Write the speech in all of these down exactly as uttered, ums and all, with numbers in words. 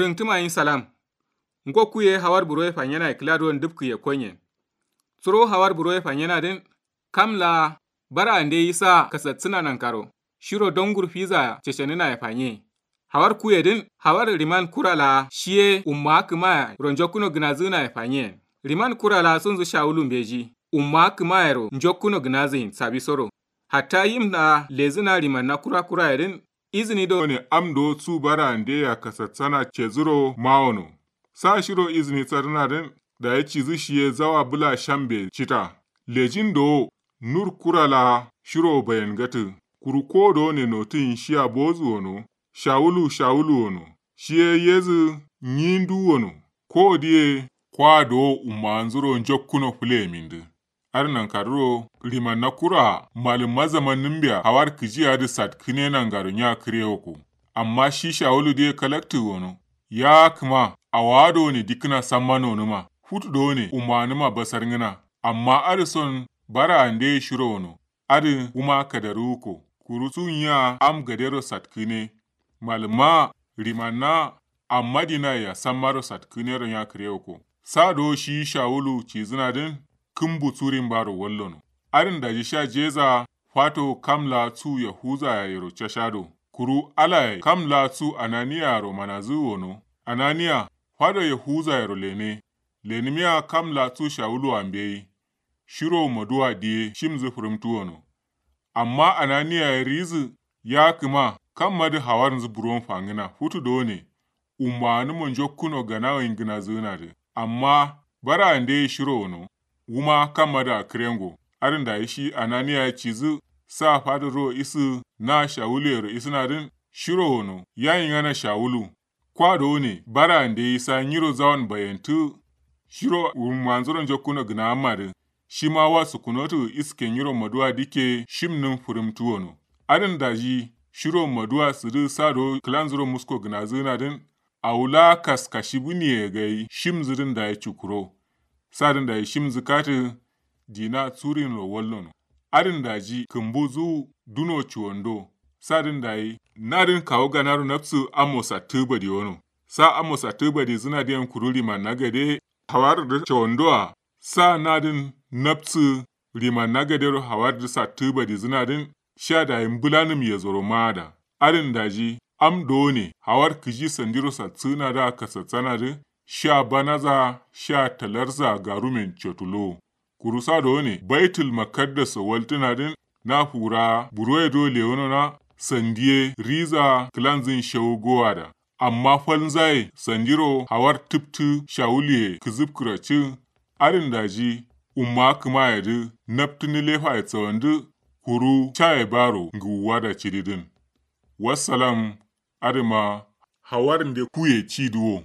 Rǝngtǝma yin salam. Ngo kuye hawar buroye fanyenaye kǝla duwon dǝfkǝ ye konyen. Suro hawar buroye fanyena dǝn, kam laa bara ande yi sa kasatsǝna nankaro shiro dongur fiza cecenǝnaye fanye. Hawar kuye dǝn hawar riman kura laa shiye umma kǝmaya ro njokkuno gǝnazǝnaye fanyen. Riman kura laa sunzǝ shawulu mbeji umma kǝmayero njokkuno gǝnazǝyin sabi soro. Hatta yim laa lezǝna rimanna kura kuraye dǝn izǝni do ne am do su bara ande ya kasatsana cezǝro mawono. Sa shiro izǝni sarǝna dǝn dayi cizǝ shiye zawa bǝla shambe cita. Lejin dowo nur kura laa shiro bayen gatǝ. Kuru ko do ne notǝyin shiya bozǝ wono. Shawulu shawulu wono. Shiye yezǝ nyindu wono. Ko diye kwa dowo umma nzuro njokkuno fǝlemin dǝ. Adǝ nankarǝro rimanna kura malǝmma zamannǝmbeya hawar kǝji adǝ satkǝne nangaro nya kǝrewoko. Amma shi shawulu diye kalaktǝ wono. Ya kǝma awa done dikkǝna samma nonǝma futu done ummanǝma basarngǝna. Amma adǝ son bara andeye shiro wono. Adǝ wuma kadarǝwuko. Kuru su nyiya am gadero satkǝne. Malǝmma rimanna amma dinaye ya sammaro satkǝnero nya kǝrewoko. Sa do shi shawulu cizǝna dǝn kǝmbu surin baro wallono. Adǝn daji sha jeza fato kam laa su yahuza yayero cashado. Kuru ala yayi kam laa su ananiya yaro manazǝ wono. Ananiya fado yahuza yaro lene. Lenǝmiya kam laa su shawulu ambeyi. Shiro maduwa diye shimzǝ fǝrǝmtǝ wono. Amma ananiya ye rizǝ ya kǝma kammadǝ hawarnzǝ buron fangǝna futu done. Ummanǝmo njokkuno ganawoyin gǝnazǝnadǝ amma bara andeye shiro wono. Wuma kammadǝ akǝrengo. Adǝn dayi shi ananiya ye cizǝ sa fadǝ ro isǝ na shawulu yero isǝnadǝn shiro wono yayingana shawulu. Kwa done bara ande isa nyiro zawon bayentǝ. Shiro wurmanzuro njokkuno gǝnammadǝ. Shima wa sukunotǝ iske nyiro maduwa dikke shimnǝm fǝrǝmtǝ wono. Adǝn daji shiro maduwa sǝdǝ sa do kǝlanzuro musko gǝnazǝnadǝn. Awu laa kaskashibǝniye gai shimzǝdǝn dayi cukuro. Sadǝn dayi shimzǝ katǝ. Dina surinro wallono. Adǝn daji kǝmbu zu duno cuwando. Sadǝn dayi nadǝn kawu ganaro nabsǝ amo sattǝ badiwono. Sa amo sattǝ badizǝna diyen kuru limanna gade. Hawarǝ dǝ cawando a sa nadǝn nabsǝ limanna gadero hawarǝ dǝ sattǝ badizǝna dǝn. Sha dayi mbǝlanǝm yezoro maada. Adǝn daji am done hawar kǝji sandiro satsǝnadǝ a kasatsana dǝ. Sha banaza sha talarza garumen cotulo. Kuru sa done baitul makaddaso waltǝnadǝn. Na fura buroye do lewunona sandiye riza kǝlanzǝn shewu gowada. Amma falnzaye sandiro hawar tǝptǝ shawuluye kǝzǝpkǝracǝ. Adǝn daji umma kǝmayedǝ naptǝ nǝlefaye tsawandǝ. Kuru caye baro ngǝwuwada cididǝn. Wassalam. Adǝma hawarnde kuye cidǝ wo.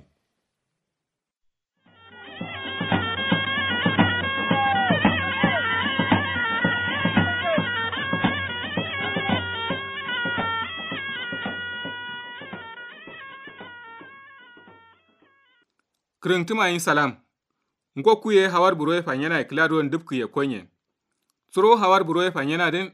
Kǝrǝngtǝma yin salam. Ngo kuye hawar buroye fanyenaye kǝla duwon dǝpkǝ ye konyen. Suro hawar buroye fanyena dǝn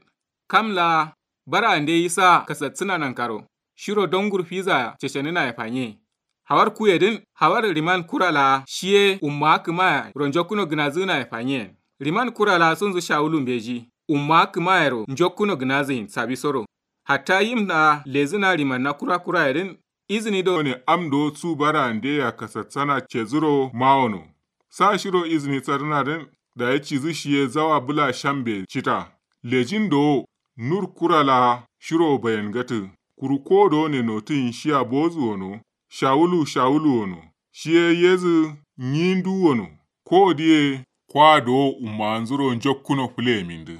kam laa bara ande yi sa kasatsǝna nankaro shiro dongur fiza cecenǝnaye fanye. Hawar kuye dǝn hawar riman kura laa shiye umma kǝmaya ro njokkuno gǝnazǝnaye fanyen. Riman kura laa sunzǝ shawulu mbeji umma kǝmayero njokkuno gǝnazǝyin sabi soro. Hatta yim laa lezǝna rimanna kura kuraye dǝn izǝni do ne am do su bara ande ya kasatsana cezǝro mawono. Sa shiro izǝni sarǝna dǝn dayi cizǝ shiye zawa bǝla shambe cita. Lejin dowo nur kura laa shiro bayen gatǝ. Kuru ko do ne notǝyin shiya bozǝ wono. Shawulu shawulu wono. Shiye yezǝ nyindu wono. Ko diye kwa dowo ummanzuro njokkuno fǝleyemindǝ.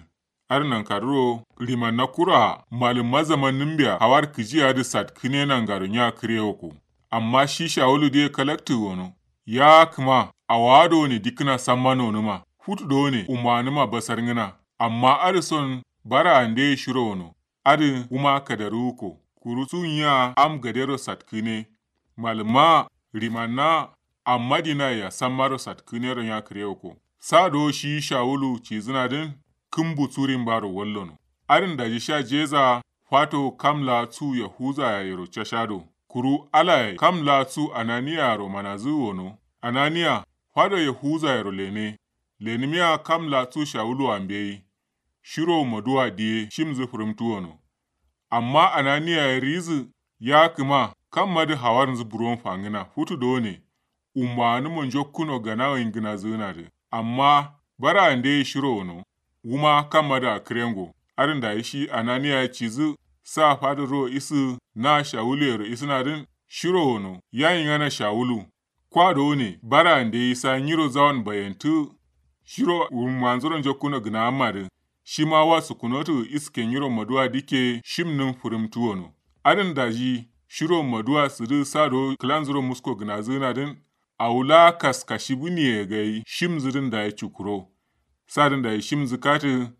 Adǝ nankarǝro rimanna kura malǝmma zamannǝmbeya hawar kǝji adǝ satkǝne nangaro nya kǝrewoko. Amma shi shawulu diye kalaktǝ wono. Ya kǝma awa done dikkǝna samma nonǝma futu done ummanǝma basarngǝna. Amma adǝ son bara andeye shiro wono. Adǝ wuma kadarǝwuko. Kuru su nyiya am gadero satkǝne. Malǝmma rimanna amma dinaye ya sammaro satkǝnero nya kǝrewoko. Sa do shi shawulu cizǝnadǝn kǝmbu surin baro wallono. Adǝn daji sha jeza fato kam laa su yahuza yayero cashado. Kuru alaye kam laa cu ananiyaro manazǝ wono. Ananiya fado yahuza yero lene. Lenimiya kam laa cu shawulu ambeyi. Shiro maduwa diye shimzǝ fǝrǝmtu wono. Amma ananiya ye rizǝ ya kǝma kammadǝ hawarnzǝ buron fangǝna futu done. Ummawanǝmo njokkuno ganawo ingǝnazǝgǝnadǝ. Amma bara ande ye shiro wono. Wuma kammadǝ akǝrengo. Adǝn dayi shi ananiya ye cizǝ sa fadǝ ro isǝ na shawulu yero isǝnadǝn. Shiro wono ya ingana shawulu. Kwa done bara ande ye sa nyiro zawon bayantǝ. Shiro wummanzuro njokkuno gǝnawammadǝ. Shima wa sukkunotǝ iske nyiro maduwa dikke shimnǝm fǝrǝmtu wono. Adǝn daji shiro maduwa sǝdǝ sa do kǝlanzuro musko gǝnazǝgǝnadǝn. Awu laa kaska shibǝniye gai shimzǝdǝn dayi cukuro. Sadǝn dayi shimzǝ katǝ.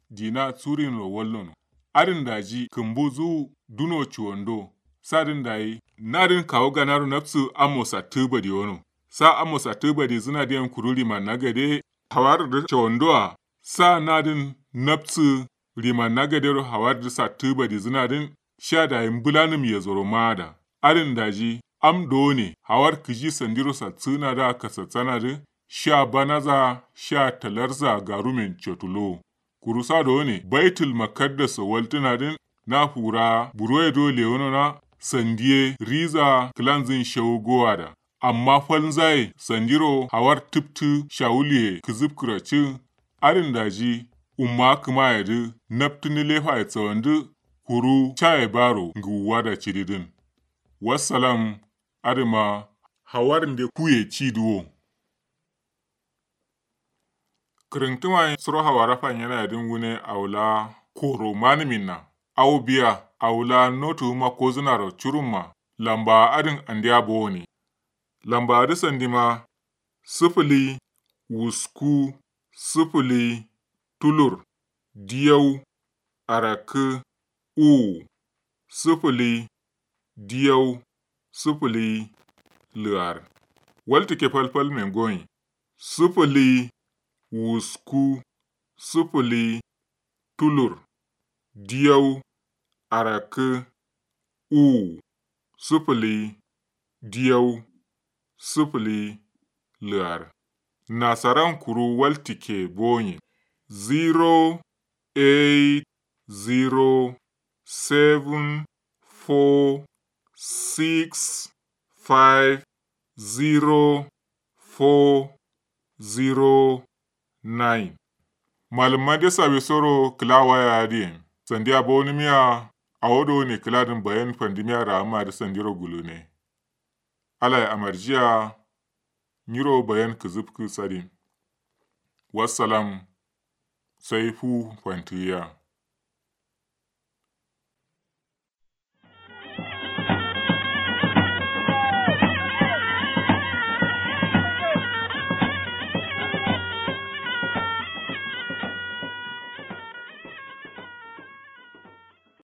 Dina curinro wallono. Adǝn daji kǝmbuzu duno cuwando. Sadǝn dayi nadǝn kawu ganaro nabsǝ amo sattǝ badiwono. Sa amo sattǝ badizǝnadǝ yen kuru limanna gade. Hawarǝdǝ cuwandoa. Sa nadǝn nabsǝ limanna gadero hawarǝdǝ sattǝ badizǝnadǝn. Sha dayi mbǝlanǝm yezoro maada. Adǝn daji am done hawar kǝji sandiro satsǝgǝnadǝa kasatsanadǝ. Sha banaza sha talarza garumen cotulo. Kuru sa done baitul makaddaso waltǝnadǝn. Na fura buroye do lewonona. Sandiye riza kǝlanzǝn shawu gowada. Amma falnzaye sandiro hawar tǝptǝ shawuluye kǝzǝpkǝracǝ. Adǝn daji umma kǝmayedǝ naptǝ nǝlefaye tsawandǝ. Kuru caye baro ngǝwuwada cididǝn. Wassalam. Adǝma hawar nde kuye cidǝ wo. Kǝrǝntǝma ye suro hawara fanyenayedǝn wune awu laa koro manǝminna. Awo biya awu laa notuwuma kozǝnaro curumma. Lambawa adǝn andeya bowone. Lambawodǝ sandima sǝfǝli wusku sǝfǝli tulur diyau arakkǝ uwu sǝfǝli diyau sǝfǝli lǝar. Waltǝkke falfalmen gonyi sǝfǝli wusku sǝfǝli tulur diyau arakkǝ uwu sǝfǝli diyau sǝfǝli lǝar. Nasaran kuru waltǝkke bonyi zero eight zero seven four six five zero four zero nine. Malǝmma de sawisoro kǝla waya adǝ yen sandiya bowonǝmiya. Awo done kǝladǝn bayan fandǝmiya raammadǝ sandiro gulune. Alaye amarjiya. Nyiro bayan kǝzǝpkǝ sadin. Wassalam. Sai fu fantǝgǝya.